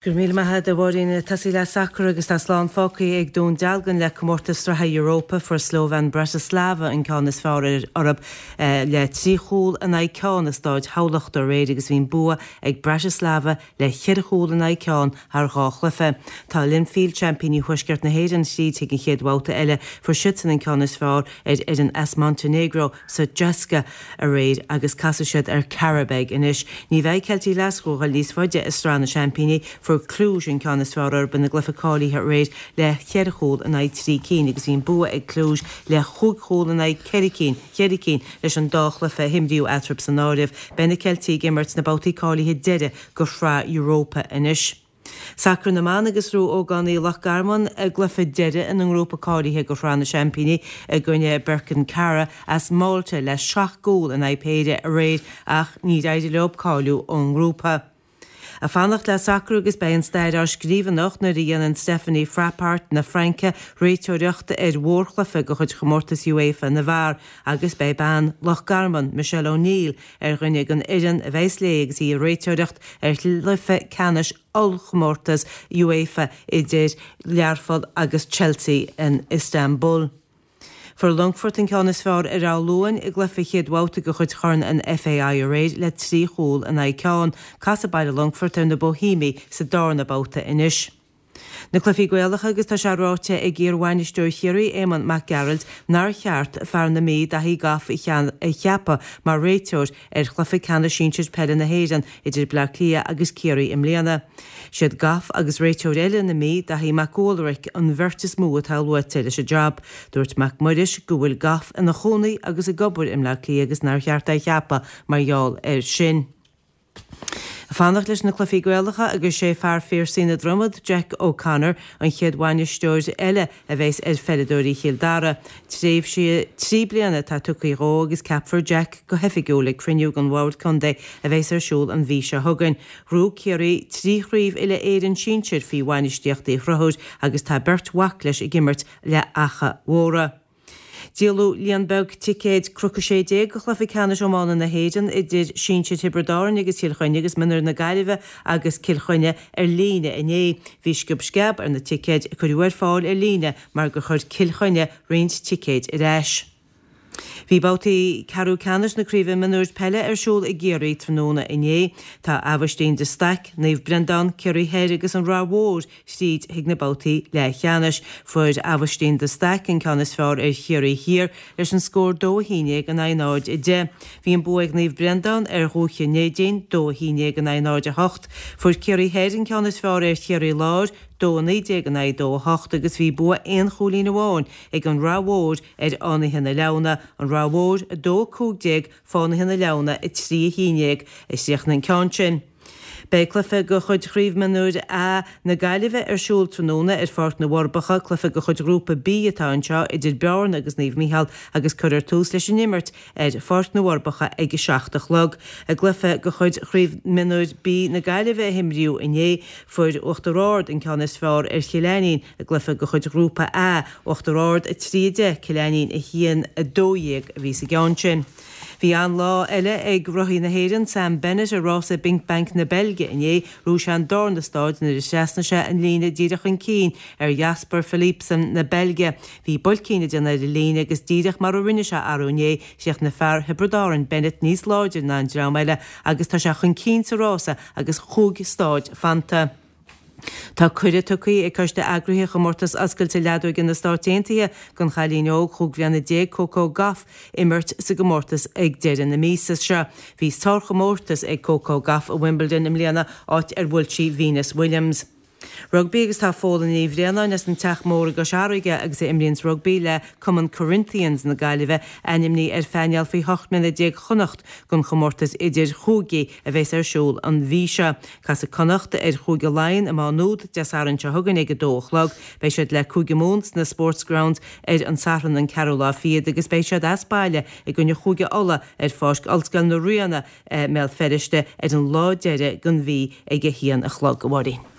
Go raibh míle maith agat, a Mháirín. Ag tosaí le sacar agus tá slán fágtha ag Dún Dealgan le comórtas sraithe Europa. Fuair Slovan Bratislava an ceann is fearr orthu le 3 chúl in aghaidh ceann i Stáid Thamhlachta aréir agus bhí an bua ag Bratislava le cheithre chúl in aghaidh ceann thar dhá chluiche. Tá Linfield, seaimpíní Thuaisceart na hÉireann, thríd chuig an chéad bhabhta eile. Fuair siadsan an ceann is fearr ar fhoireann as Montenegro Sutjeska aréir agus casfaidh siad ar Qarabag anois. Ní bheidh Ceiltigh Ghlaschú ag dul níos faide i Sraith na Seaimpíní. Fuair Cluj an ceann is fearr orthu ina gcluiche cáilithe aréir le cheithre chúl in aghaidh 3 cinn agus bhí an bua ag Cluj le chúig chúl in aghaidh ceithre cinn, cheithre cinn leis an dá chluiche a himríodh eatarthu san áireamh. Beidh na Ceiltigh ag imirt sna babhtaí cáilithe deiridh go Shraith Europa anois. Sacar na mBan agus ghnóthaigh ógánaigh Loch Garman a gcluiche deiridh ina ngrúpa cáilithe go Shraith na Seaimpíní i gcoinne Birkirkara as Málta le seacht gcúl in aghaidh péire aréir ach níor éirigh leo cáiliú ón ngrúpa. Ag fanacht le sacar agus beidh an stair á scríobh anocht nuair a dhéanann Stephanie Frappart na Fraince réiteoireacht ar mhórchluiche de chuid chomórtas UEFA na bhfear agus beidh bean Loch Garman, Michelle O'Neill, ar dhuine den fhoireann a bheas léi agus í ag réiteoireacht ar chluiche ceannais ollchomórtas UEFA idir Learpholl agus Chelsea in Istanbul. Fuair Longfort an ceann is fearr ar Áth Luain i gcluiche chéad bhabhta de chuid Chorn an FAI aréir le 3 chúl in aghaidh ceann. Casfaidh Baile Longfoirt ar na Boihéamaigh sa darna babhta anois. Na cluichí Gaelacha agus tá sé ráite ag iar-bhainisteoir Chiarraí Éamonn Mac Gearailt nár cheart fear na Mí, Daithí Goff a cheapadh mar réiteoir ar chluiche ceannais sinsir peile na hÉireann idir Bleá Cliath agus Ciarraí i mbliana. Siad Goff agus réiteoir eile na Mí, Daithí Mac Ualraic, an bheirt is mó atá luaite leis an jab. Dúirt Mac Muiris go bhfuil Goff ina chónaí agus ag obair i mBleá Cliath agus nár cheart é a cheapadh mar gheall air sin. Ag fanacht leis na cluichí Gaelacha agus sé fear Phiarsaigh na Dromad, Jack O'Connor, an chéad bhainisteoir eile a bheas ar pheileadóirí Chill Dara. Tréimhse 3 bliana atá tugtha dhó agus ceapfar Jack go hoifigiúil ag cruinniú den Bhord Contae a bheas ar siúl an mhí seo chugainn. Ghnóthaigh Ciarraí 3 chraobh uile-Éireann sinsir faoi bhainistíocht Uí Chonchúir agus tá beirt mhac leis ag imirt le Achadh Mhórdha. Díoladh líon beag ticéid Cnoc 16 do chluiche ceannais iomána na hÉireann idir sinsir Thiobraid Árann agus Chill Chainnigh agus mionúir na Gaillimhe agus Cill Chainnigh ar líne inné. Bhí sciob sceab ar na ticéid a cuireadh ar fáil ar líne mar gur chuir Cill Chainnigh roinnt ticéid ar ais. Bhí babhtaí ceathrú ceannais na Craoibhe Mionúir Peile ar siúl i gCiarraí tráthnóna inné. Tá Aibhistín de Staic, Naomh Breandán, Ciarraí Thoir agus an Rath Mhór thríd chuig na babhtaí leathcheannais. Fuair Aibhistín de Staic an ceann is fearr ar Chiarraí Thiar leis an scór 2-11 in aghaidh 0-10. Bhí an bua ag Naomh Breandán ar Dhúiche Neidín, 2-11 in aghaidh 0-8. Fuair Ciarraí Thoir an ceann is fearr ar Chiarraí Láir, 2-19 in aghaidh 2-8 agus bhí bua aon chúilín amháin ag an Rath Mhór ar Fhánaithe na Leamhna, An Rath Mhór 2-15, Fánaithe na Leamhna 3-11 a chríochnaigh an ceann sin. Beidh cluiche de chuid Chraobh Mionúir A na Gaillimhe ar siúl tráthnóna ar Pháirc na bhForbacha. Cluiche de chuid Ghrúpa B atá anseo idir Bearna agus Naomh Mícheál agus cuirfear tús leis an imirt ar Pháirc na bhForbacha ag a 7 a chlog. I gcluiche de chuid Chraobh Mionúir B na Gaillimhe a himríodh inné, fuair Uachtar Ard an ceann is fearr ar Chill Ainnín i gcluiche de chuid Ghrúpa A, Uachtar Ard 3, 10, Cill Ainnín 1, 12 a bhí sa gceann sin. Bhí an-lá eile ag rothaí na hÉireann, Sam Bennett, i rása Binck Bank na Beilge inné. Ghnóthaigh sé an darna stáid nuair a thrasnaigh sé an líne díreach chun cinn ar Jasper Philipsen na Beilge. Bhí buailcín ag déanamh ar an líne agus díreach mar a rinne sé arú inné, chríochnaigh fear Thiobraid Árann, Bennett, níos láidre ná an dream eile agus tá sé chun cinn sa rása agus chúig stáid fanta. Tá cuireadh tugtha ag Coiste Eagraithe Chomórtas Oscailte Leadóige na Stáit Aontaithe don chailín óg 15 bhliana Coco Gauff imirt sa gcomórtas ag deireadh na míosa seo. Bhí sárchomórtas ag Coco Gauff i Wimbledon i mbliana áit ar bhuail sí Venus Williams. Rugbaí agus tá Fódhla Ní Bhraonáin as an Teach Mór i gCois Fharraige agus a imríonns rugbaí le Cumann Corinthians na Gaillimhe ainmnithe ar phainéal faoi 18 mbliana Chonnacht don chomórtas idir-chúigí a bheas ar siúl an mhí seo. Casfaidh Connacht ar Chúige Laighean i Má Nuad Dé Sathairn seo chugainn ag 2 a chlog. Beidh siad le Cúige Mumhan sna Sportsgrounds ar an Satharn an ceathrú lá fichead agus beidh siad as baile i gcoinne Chúige Uladh ar Pháirc Ollscoil na Ríona i mBéal Feirste ar an lá deiridh den mhí ag 1 a chlog. A Mháirín.